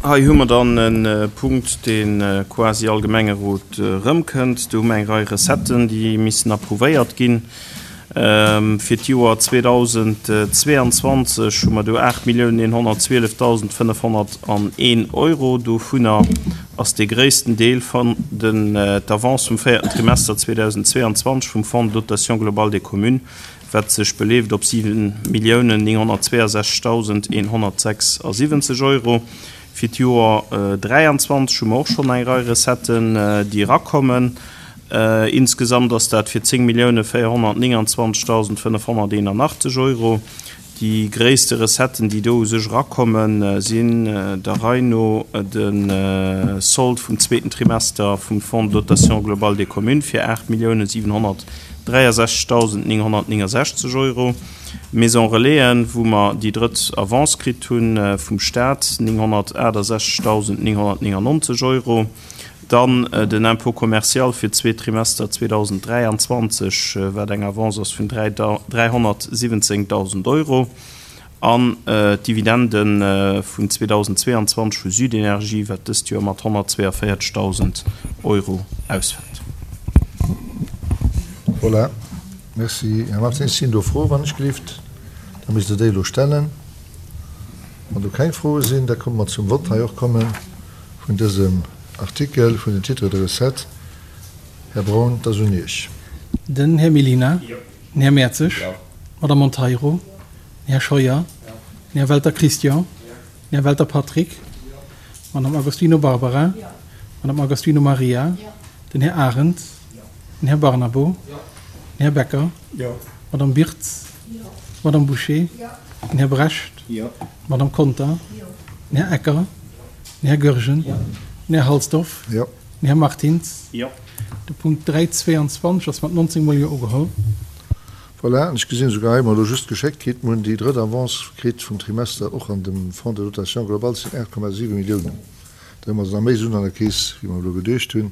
Hei hu mer dann e Punkt, dee quasi all Gemengerot erëmkënnt. Do hu mer eng Rei Recetten, déi missen approuvéiert ginn. Fir d'Joer 2022 hu mer do 8.112.501 Euro. Dovunner ass dee gréissten Deel vun den d'Avance vum véierten Trimester 2022 vum Fonds de dotation globale des communes, wat sech beleeft op 7.962.176 Euro. Fir d'Joer 23 hu mer och schonn eng Rei Recetten, déi erakommen. Insgesamt ass dat fir 10.429.581 Euro. Déi gréisste Recetten, déi do u sech erakommen, sinn der Rei no de Solde vum zweeten Trimester vum Fonds de dotation globale des communes fir 8.763.969 Euro, Maison Relaisen, wou mer déi drëtt Avance kritt hu vum Staat, 968.999 Euro. Dann den Impôt commercial fir d'zweet Trimester 2023, wat eng Avance ass vun 317.000 Euro. An d'Dividende vun 2022 vu Südenergie, wat dëst Joer mat 142.000 Euro ausfält. Voilà. Merci, Här Martins. Sinn do Froe wann ech gelift? Da misst Der déi elo stellen. Wann do keng Froe sinn, da komme mer zum Vott hei och kommen vun dësem Artikel vun den Titres de recettes. Här Braun, et ass un Iech. Den Här Mellina. Den Här Mertzig. D'Madame Monteiro. Den Här Scheuer. Den Här Welter Christian. Den Här Welter Patrick. D'Madame Agostino Barbara. D'Madame Agostino Maria. Den Här Arendt. Den Här Barnabo. Den Här Becker. D'Madame Birtz. D'Madame Bouché. Den Här Brecht. D'Madame Conter. Den Här Ecker. Den Här Goergen. Den Här Halsdorf. Den Här Martins. De Punkt 3,22 ass mat 19 mol Jo ugeholl. Voilà, an ech gesinn esouguer hei, mer elo just geschéckt kritt, mer hunn déi drëtt Avance kritt vum Trimester och an dem Fonds de dotation globale, dat sinn 8,7 Milliounen. Da hu mer also nach méi Suen an der Keess, wéi mer elo geduecht hunn.